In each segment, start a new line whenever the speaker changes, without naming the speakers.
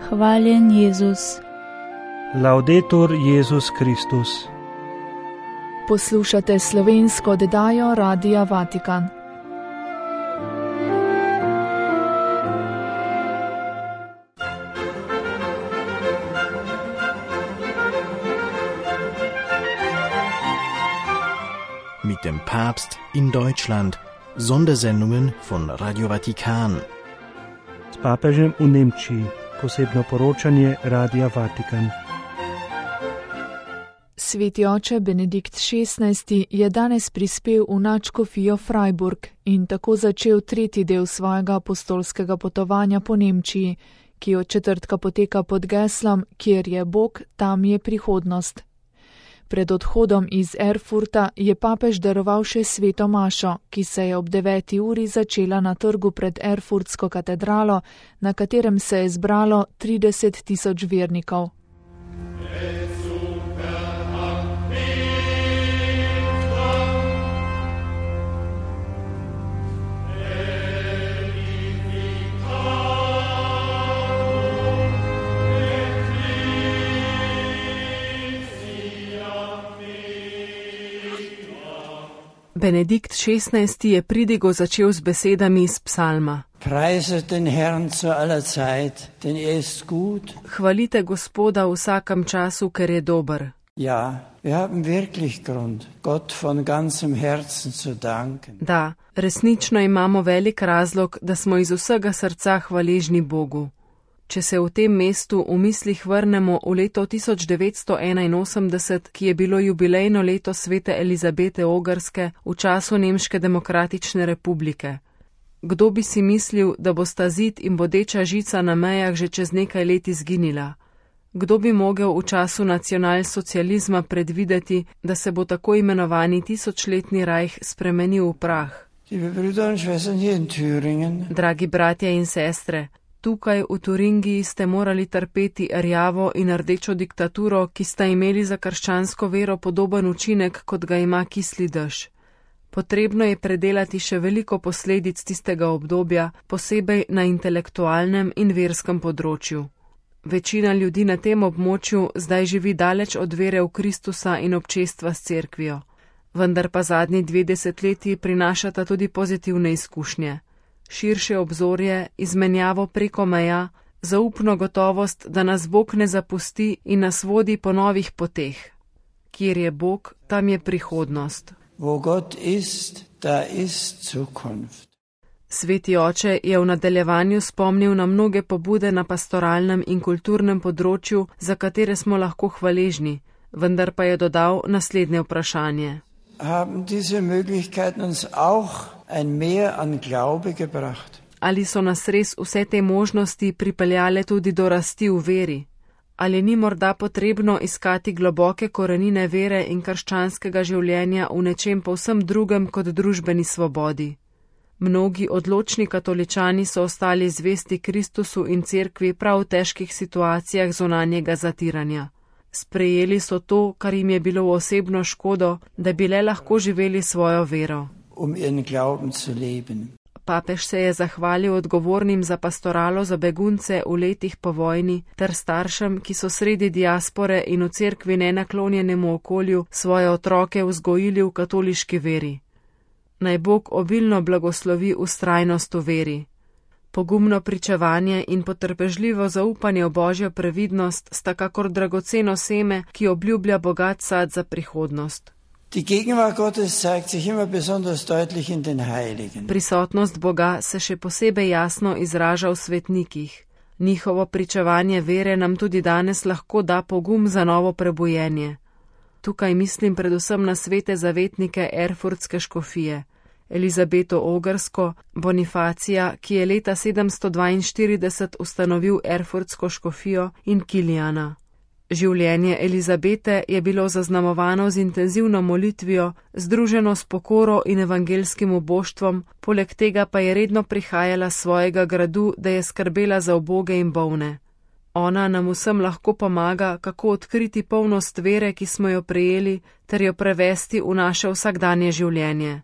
Hvaljen Jezus.
Laudetur Jezus Kristus.
Poslušate slovensko oddajo Radia Vatikan.
Mit dem Papst in Deutschland. Sondersendungen von Radio Vatikan.
S papežem v Nemčiji. Posebno poročanje Radia Vatikan.
Sveti oče Benedikt XVI je danes prispel v nadškofijo Freiburg in tako začel tretji del svojega apostolskega potovanja po Nemčiji, ki od četrtka poteka pod geslom Kjer je Bog, tam je prihodnost. Pred odhodom iz Erfurta je papež daroval še sveto mašo, ki se je ob 9. uri začela na trgu pred Erfurtsko katedralo, na katerem se je zbralo 30.000 vernikov. Benedikt XVI je pridigo začel z besedami iz psalma.
Preiset den Herrn zu aller Zeit, denn ist gut.
Hvalite Gospoda v vsakem času, ker je dober.
Ja, wir haben wirklich Grund, Gott von ganzem Herzen zu danken.
Da, resnično imamo velik razlog, da smo iz vsega srca hvaležni Bogu. Če se v tem mestu v mislih vrnemo v leto 1981, ki je bilo jubilejno leto svete Elizabete Ogrske v času Nemške demokratične republike. Kdo bi si mislil, da bosta zid in bodeča žica na mejah že čez nekaj let izginila? Kdo bi mogel v času nacionalsocializma predvideti, da se bo tako imenovani tisočletni rajh spremenil v prah? Dragi bratje in sestre, tukaj v Turingiji ste morali trpeti rjavo in rdečo diktaturo, ki sta imeli za krščansko vero podoben učinek, kot ga ima kisli dež. Potrebno je predelati še veliko posledic tistega obdobja, posebej na intelektualnem in verskem področju. Večina ljudi na tem območju zdaj živi daleč od vere v Kristusa in občestva s cerkvijo. Vendar pa zadnji 2 desetletji prinašata tudi pozitivne izkušnje. Širše obzorje, izmenjavo preko meja, zaupno gotovost, da nas Bog ne zapusti in nas vodi po novih poteh. Kjer je Bog, tam je prihodnost.
Wo Gott ist, da ist Zukunft.
Sveti oče je v nadaljevanju spomnil na mnoge pobude na pastoralnem in kulturnem področju, za katere smo lahko hvaležni, vendar pa je dodal naslednje vprašanje.
Haben diese Möglichkeiten uns auch ein Mehr an Glaube gebracht?
Ali so nas res vse te možnosti pripeljale tudi do rasti v veri? Ali ni morda potrebno iskati globoke korenine vere in krščanskega življenja v nečem povsem drugem kot družbeni svobodi? Mnogi odločni katoličani so ostali zvesti Kristusu in cerkvi prav v težkih situacijah zunanjega zatiranja. Sprejeli so to, kar jim je bilo v osebno škodo, da bi le lahko živeli svojo vero. Papež se je zahvalil odgovornim za pastoralo za begunce v letih po vojni ter staršem, ki so sredi diaspore in v cerkvi nenaklonjenemu okolju svoje otroke vzgojili v katoliški veri. Naj Bog obilno blagoslovi vztrajnost v veri. Pogumno pričevanje in potrpežljivo zaupanje v Božjo previdnost sta kakor dragoceno seme, ki obljublja bogat sad za prihodnost. Prisotnost Boga se še posebej jasno izraža v svetnikih. Njihovo pričevanje vere nam tudi danes lahko da pogum za novo prebujenje. Tukaj mislim predvsem na svete zavetnike Erfurtske škofije. Elizabeto Ogrsko, Bonifacija, ki je leta 742 ustanovil Erfurtsko škofijo, in Kilijana. Življenje Elizabete je bilo zaznamovano z intenzivno molitvijo, združeno s pokoro in evangelskim uboštvom, poleg tega pa je redno prihajala s svojega gradu, da je skrbela za uboge in bolne. Ona nam vsem lahko pomaga, kako odkriti polnost vere, ki smo jo prejeli, ter jo prevesti v naše vsakdanje življenje.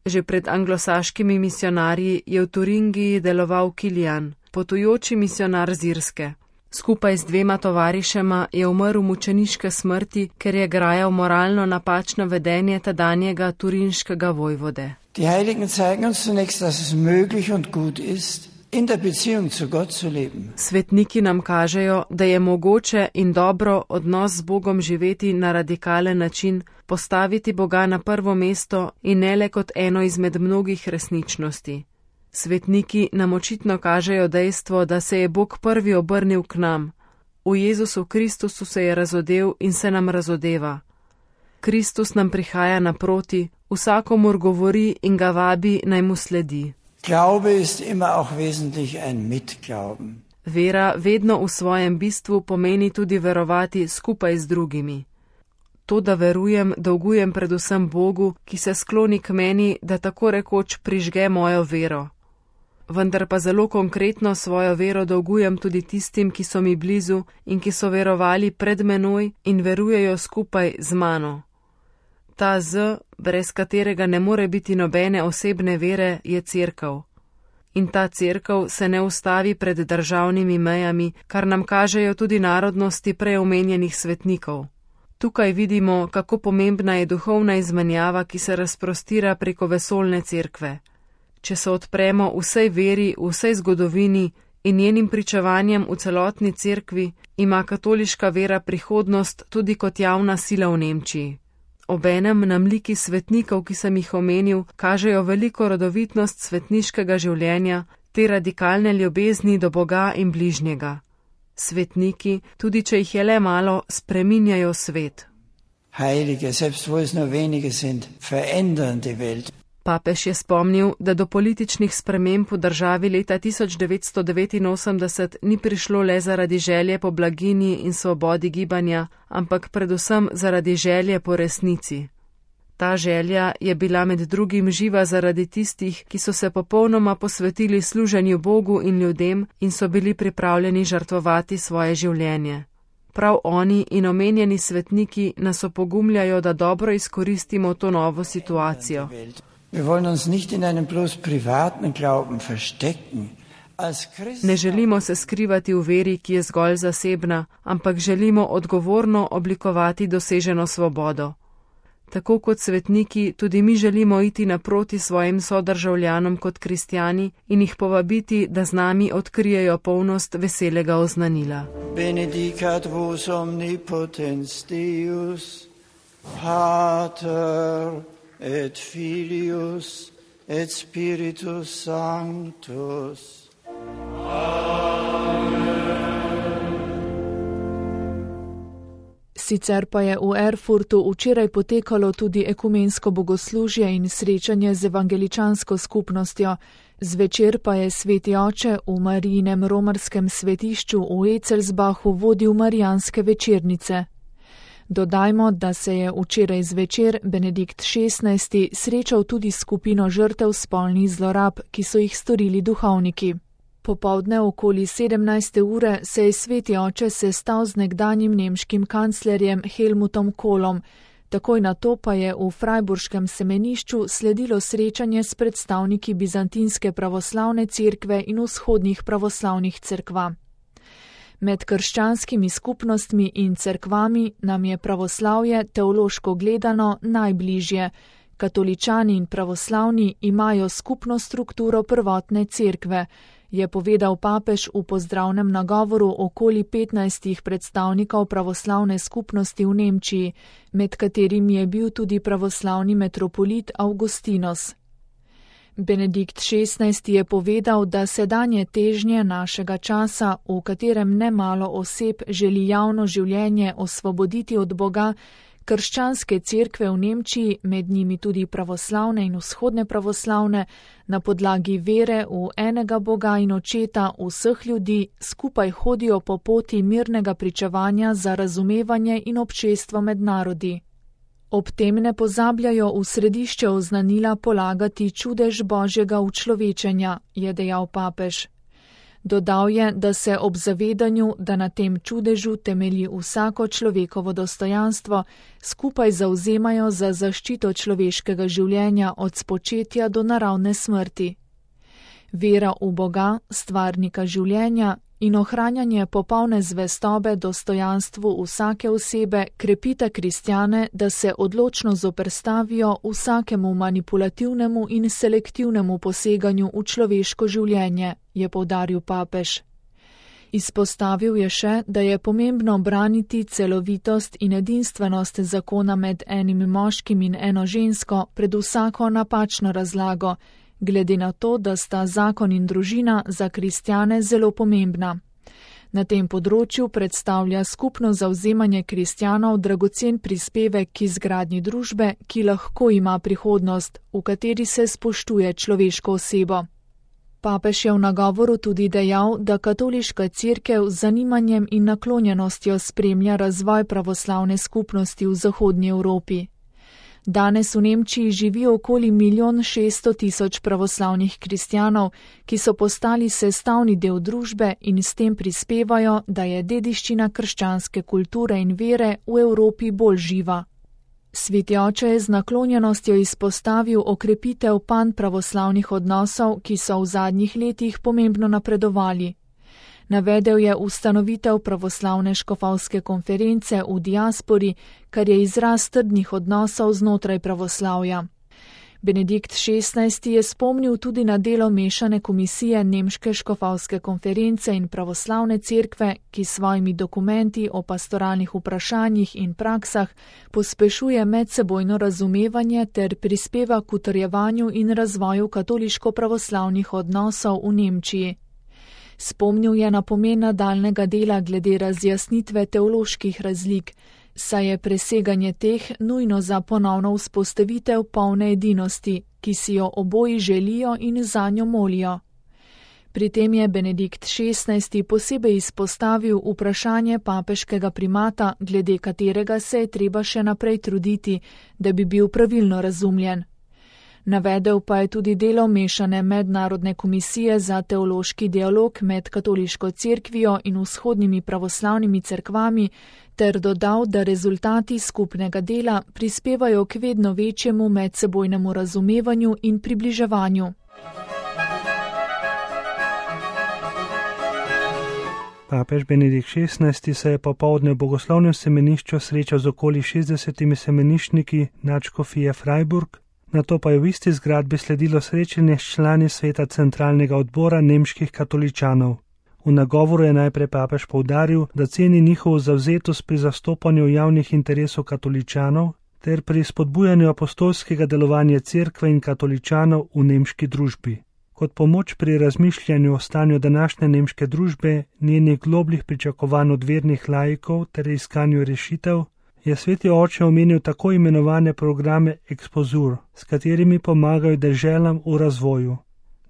Že pred anglosaškimi misionarji je v Turingiji deloval Kilijan, potujoči misionar z Irske. Skupaj z 2 tovarišema je umrl mučeniške smrti, ker je grajal moralno napačno vedenje tedanjega turinškega vojvode.
Die Heiligen zeigen uns zunächst, dass es möglich und gut ist, in der Beziehung zu Gott zu leben.
Svetniki nam kažejo, da je mogoče in dobro odnos z Bogom živeti na radikalen način, postaviti Boga na prvo mesto in ne le kot eno izmed mnogih resničnosti. Svetniki nam očitno kažejo dejstvo, da se je Bog prvi obrnil k nam. V Jezusu Kristusu se je razodel in se nam razodeva. Kristus nam prihaja naproti, vsakomur govori in ga vabi, naj mu sledi.
Glaube ist immer auch wesentlich ein Mitglauben.
Vera vedno v svojem bistvu pomeni tudi verovati skupaj z drugimi. To, da verujem, dolgujem predvsem Bogu, ki se skloni k meni, da tako rekoč prižge mojo vero. Vendar pa zelo konkretno svojo vero dolgujem tudi tistim, ki so mi blizu in ki so verovali pred menoj in verujejo skupaj z mano. Ta Z, brez katerega ne more biti nobene osebne vere, je cerkev. In ta cerkev se ne ustavi pred državnimi mejami, kar nam kažejo tudi narodnosti preomenjenih svetnikov. Tukaj vidimo, kako pomembna je duhovna izmenjava, ki se razprostira preko vesoljne cerkve. Če se odpremo vsej veri, vsej zgodovini in njenim pričevanjem v celotni cerkvi, ima katoliška vera prihodnost tudi kot javna sila v Nemčiji. Obenem nam liki svetnikov, ki sem jih omenil, kažejo veliko rodovitnost svetniškega življenja, te radikalne ljubezni do Boga in bližnjega. Svetniki, tudi če jih je le malo, spreminjajo svet.
Heilige, selbst wo es nur wenige sind, verändern die Welt.
Papež je spomnil, da do političnih sprememb v državi leta 1989 ni prišlo le zaradi želje po blaginji in svobodi gibanja, ampak predvsem zaradi želje po resnici. Ta želja je bila med drugim živa zaradi tistih, ki so se popolnoma posvetili služenju Bogu in ljudem in so bili pripravljeni žrtvovati svoje življenje. Prav oni in omenjeni svetniki nas opogumljajo, da dobro izkoristimo to novo situacijo.
Wir wollen uns nicht in einem bloß privaten Glauben verstecken.
Ne želimo se skrivati v veri, ki je zgolj zasebna, ampak želimo odgovorno oblikovati doseženo svobodo. Tako kot svetniki, tudi mi želimo iti naproti svojim sodržavljanom kot kristjani in jih povabiti, da z nami odkrijejo polnost veselega oznanila.
Benedicat vos omnipotens Deus, Pater et Filius et Spiritus Sanctus.
Sicer pa je v Erfurtu včeraj potekalo tudi ekumensko bogoslužje in srečanje z evangeličansko skupnostjo. Zvečer pa je sveti oče v Marijinem romarskem svetišču v Ecelsbachu vodil marijanske večernice. Dodajmo, da se je včeraj zvečer Benedikt XVI srečal tudi skupino žrtev spolnih zlorab, ki so jih storili duhovniki. Popoldne okoli 17. ure se je sveti oče sestal z nekdanjim nemškim kanclerjem Helmutom Kohlom, takoj nato pa je v Freiburškem semenišču sledilo srečanje s predstavniki bizantinske pravoslavne cerkve in vzhodnih pravoslavnih cerkva. Med krščanskimi skupnostmi in cerkvami nam je pravoslavje teološko gledano najbližje. Katoličani in pravoslavni imajo skupno strukturo prvotne cerkve, je povedal papež v pozdravnem nagovoru okoli 15 predstavnikov pravoslavne skupnosti v Nemčiji, med katerimi je bil tudi pravoslavni metropolit Augustinos. Benedikt XVI je povedal, da sedanje težnje našega časa, v katerem nemalo oseb želi javno življenje osvoboditi od Boga, krščanske cerkve v Nemčiji, med njimi tudi pravoslavne in vzhodne pravoslavne, na podlagi vere v enega Boga in Očeta vseh ljudi skupaj hodijo po poti mirnega pričevanja za razumevanje in občestvo med narodi. Ob tem ne pozabljajo v središče oznanila polagati čudež Božjega učlovečenja, je dejal papež. Dodal je, da se ob zavedanju, da na tem čudežu temelji vsako človekovo dostojanstvo, skupaj zavzemajo za zaščito človeškega življenja od spočetja do naravne smrti. Vera v Boga, stvarnika življenja, in ohranjanje popolne zvestobe dostojanstvu vsake osebe krepita kristjane, da se odločno zoperstavijo vsakemu manipulativnemu in selektivnemu poseganju v človeško življenje, je poudaril papež. Izpostavil je še, da je pomembno braniti celovitost in edinstvenost zakona med enim moškim in eno žensko pred vsako napačno razlago, glede na to, da sta zakon in družina za kristjane zelo pomembna. Na tem področju predstavlja skupno zavzemanje kristjanov dragocen prispevek k izgradnji družbe, ki lahko ima prihodnost, v kateri se spoštuje človeško osebo. Papež je v nagovoru tudi dejal, da katoliška cerkev z zanimanjem in naklonjenostjo spremlja razvoj pravoslavne skupnosti v zahodnji Evropi. Danes v Nemčiji živi okoli 1.600.000 pravoslavnih kristjanov, ki so postali sestavni del družbe in s tem prispevajo, da je dediščina krščanske kulture in vere v Evropi bolj živa. Sveti oče je z naklonjenostjo izpostavil okrepitev panpravoslavnih odnosov, ki so v zadnjih letih pomembno napredovali. Navedel je ustanovitev pravoslavne škofovske konference v diaspori, kar je izraz trdnih odnosov znotraj pravoslavja. Benedikt XVI je spomnil tudi na delo mešane komisije Nemške škofovske konference in pravoslavne cerkve, ki s svojimi dokumenti o pastoralnih vprašanjih in praksah pospešuje medsebojno razumevanje ter prispeva k utrjevanju in razvoju katoliško-pravoslavnih odnosov v Nemčiji. Spomnil je na pomen nadaljnega dela glede razjasnitve teoloških razlik, saj je preseganje teh nujno za ponovno vzpostavitev polne edinosti, ki si jo oboji želijo in zanjo molijo. Pri tem je Benedikt XVI posebej izpostavil vprašanje papeškega primata, glede katerega se je treba še naprej truditi, da bi bil pravilno razumljen. Navedel pa je tudi delo mešane mednarodne komisije za teološki dialog med katoliško cerkvijo in vzhodnimi pravoslavnimi cerkvami ter dodal, da rezultati skupnega dela prispevajo k vedno večjemu medsebojnemu razumevanju in približevanju.
Papež Benedikt XVI se je popoldne v bogoslovnem semenišču srečal z okoli 60 semeniščniki nadškofije Freiburg, nato pa je v isti zgradbi sledilo srečanje s člani sveta centralnega odbora nemških katoličanov. V nagovoru je najprej papež poudaril, da ceni njihovo zavzetost pri zastopanju javnih interesov katoličanov ter pri spodbujanju apostolskega delovanja cerkve in katoličanov v nemški družbi. Kot pomoč pri razmišljanju o stanju današnje nemške družbe, njenih globljih pričakovanj od vernih laikov ter iskanju rešitev, je sveti oče omenil tako imenovane programe Exposur, s katerimi pomagajo deželam v razvoju.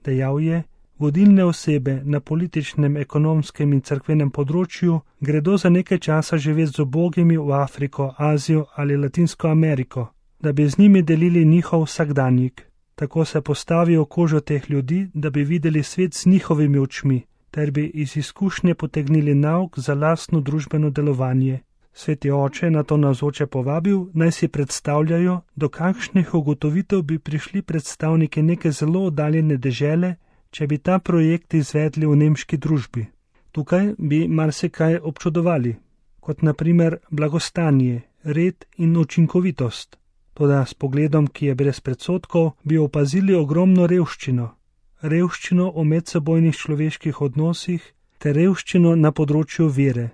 Dejal je, vodilne osebe na političnem, ekonomskem in cerkvenem področju gredo za nekaj časa živeti z ubogimi v Afriko, Azijo ali Latinsko Ameriko, da bi z njimi delili njihov vsakdanjik. Tako se postavijo v kožo teh ljudi, da bi videli svet z njihovimi očmi, ter bi iz izkušnje potegnili nauk za lastno družbeno delovanje. Sveti oče na to navzoče povabil, naj si predstavljajo, do kakšnih ugotovitev bi prišli predstavniki neke zelo oddaljene dežele, če bi ta projekt izvedli v nemški družbi. Tukaj bi marsikaj občudovali, kot na primer blagostanje, red in učinkovitost. Toda s pogledom, ki je brez predsodkov, bi opazili ogromno revščino v medsebojnih človeških odnosih ter revščino na področju vere.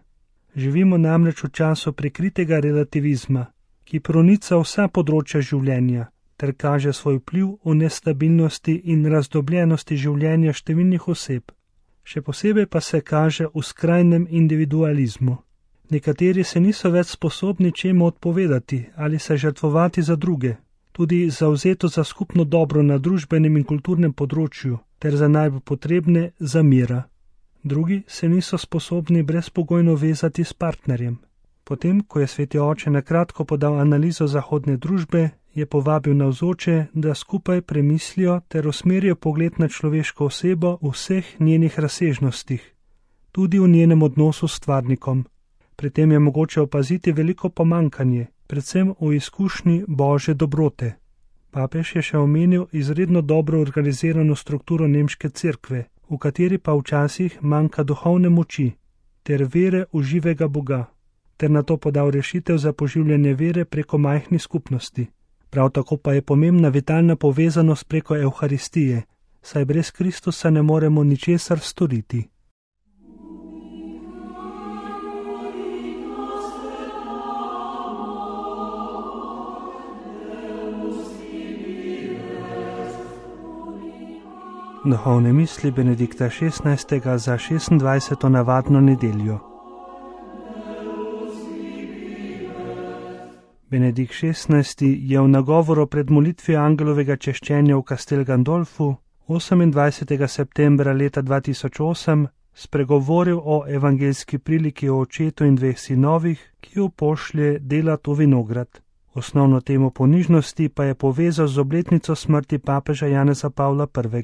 Živimo namreč v času prikritega relativizma, ki pronica vsa področja življenja ter kaže svoj vpliv v nestabilnosti in razdobljenosti življenja številnih oseb. Še posebej pa se kaže v skrajnem individualizmu. Nekateri se niso več sposobni čemu odpovedati ali se žrtvovati za druge, tudi zavzeto za skupno dobro na družbenem in kulturnem področju ter za najbolj potrebne za mira. Drugi se niso sposobni brezpogojno vezati s partnerjem. Potem, ko je sveti oče nakratko podal analizo zahodne družbe, je povabil navzoče, da skupaj premislijo ter usmerijo pogled na človeško osebo v vseh njenih razsežnostih, tudi v njenem odnosu s stvarnikom. Pri tem je mogoče opaziti veliko pomankanje, predvsem v izkušnji Božje dobrote. Papež je še omenil izredno dobro organizirano strukturo nemške cerkve, v kateri pa včasih manjka duhovne moči ter vere v živega Boga, ter na to podal rešitev za poživljanje vere preko majhnih skupnosti. Prav tako pa je pomembna vitalna povezanost preko Evharistije, saj brez Kristusa ne moremo ničesar storiti. Duhovne misli Benedikta XVI. Za 26. navadno nedeljo. Benedikt XVI. Je v nagovoru pred molitvijo angelovega češčenja v Castel Gandolfu 28. septembra leta 2008 spregovoril o evangeljski priliki o očetu in dveh sinovih, ki jo pošlje delat v vinograd. Osnovno temo ponižnosti pa je povezal z obletnico smrti papeža Janeza Pavla I.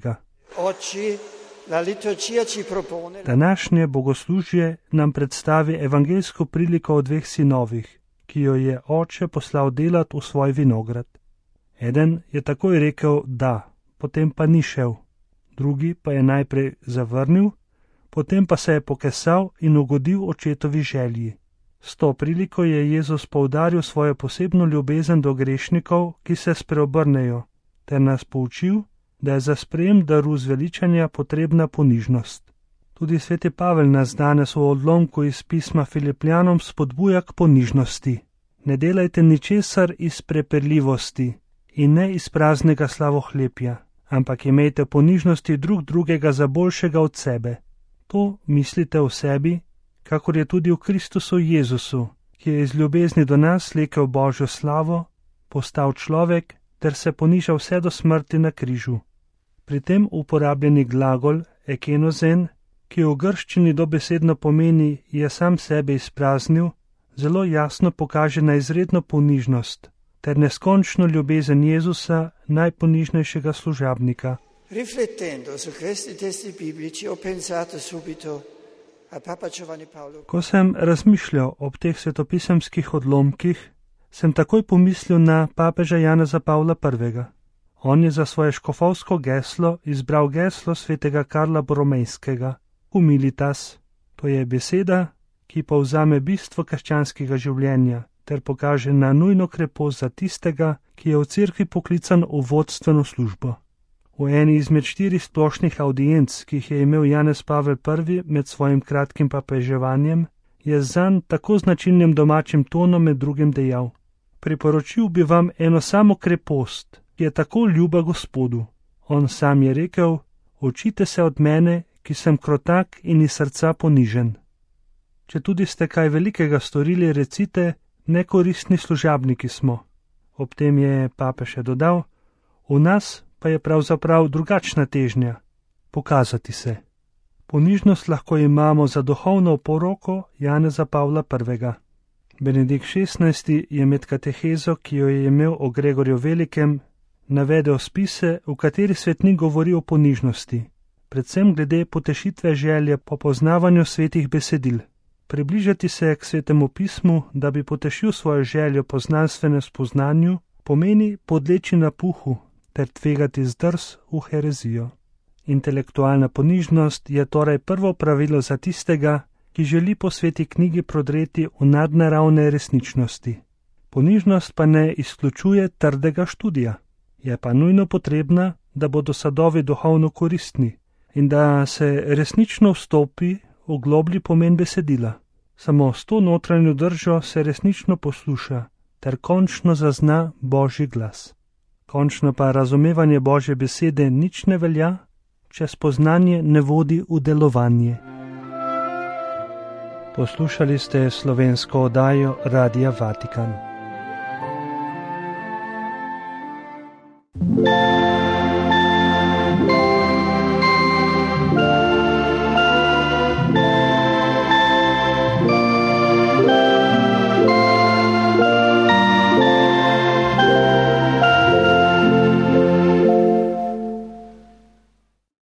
Današnje bogoslužje nam predstavi evangeljsko priliko o dveh sinovih, ki jo je oče poslal delat v svoj vinograd. Eden je takoj rekel da, potem pa ni šel, drugi pa je najprej zavrnil, potem pa se je pokesal in ugodil očetovi želji. S to priliko je Jezus poudaril svojo posebno ljubezen do grešnikov, ki se spreobrnejo, ter nas poučil, da je za sprejem daru zveličanja potrebna ponižnost. Tudi sveti Pavel nas danes v odlomku iz pisma Filipljanom spodbuja k ponižnosti. Ne delajte ničesar iz prepirljivosti in ne iz praznega slavohlepja, ampak imejte ponižnosti drug drugega za boljšega od sebe. To mislite o sebi, kakor je tudi v Kristusu Jezusu, ki je iz ljubezni do nas slekel Božjo slavo, postal človek ter se ponižal vse do smrti na križu. Pri tem uporabljeni glagol ekenozen, ki v grščini dobesedno pomeni je sam sebe izpraznil, zelo jasno pokaže na izredno ponižnost ter neskončno ljubezen Jezusa, najponižnejšega služabnika.
Riflettendo su questi testi biblici ho pensato subito a Papa Giovanni Paolo.
Ko sem razmišljal ob teh svetopisemskih odlomkih, sem takoj pomislil na papeža Janeza Pavla I. On je za svoje škofovsko geslo izbral geslo svetega Karla Boromejskega, humilitas. To je beseda, ki povzame bistvo krščanskega življenja ter pokaže na nujno krepost za tistega, ki je v cerkvi poklican v vodstveno službo. V eni izmed 4 splošnih audienc, ki jih je imel Janez Pavel I med svojim kratkim papeževanjem, je zanj tako značilnim domačim tonom med drugim dejal: priporočil bi vam eno samo krepost, ki je tako ljuba Gospodu. On sam je rekel: učite se od mene, ki sem krotak in iz srca ponižen. Če tudi ste kaj velikega storili, recite, nekoristni služabniki smo. Ob tem je papež še dodal: v nas pa je pravzaprav drugačna težnja, pokazati se. Ponižnost lahko imamo za duhovno oporoko Janeza Pavla I. Benedikt XVI. Je med katehezo, ki jo je imel o Gregorju Velikem, navedel spise, v kateri svetnik govori o ponižnosti, predvsem glede potešitve želje po poznavanju svetih besedil. Približati se k svetemu pismu, da bi potešil svojo željo po znanstvenem spoznanju, pomeni podleči napuhu ter tvegati zdrs v herezijo. Intelektualna ponižnost je torej prvo pravilo za tistega, ki želi po sveti knjigi prodreti v nadnaravne resničnosti. Ponižnost pa ne izključuje trdega študija, je pa nujno potrebna, da bodo sadovi duhovno koristni in da se resnično vstopi v globlji pomen besedila. Samo s to notranjo držo se resnično posluša ter končno zazna Božji glas. Končno pa razumevanje Božje besede nič ne velja, če spoznanje ne vodi v delovanje. Poslušali ste slovensko oddajo Radia Vatikan.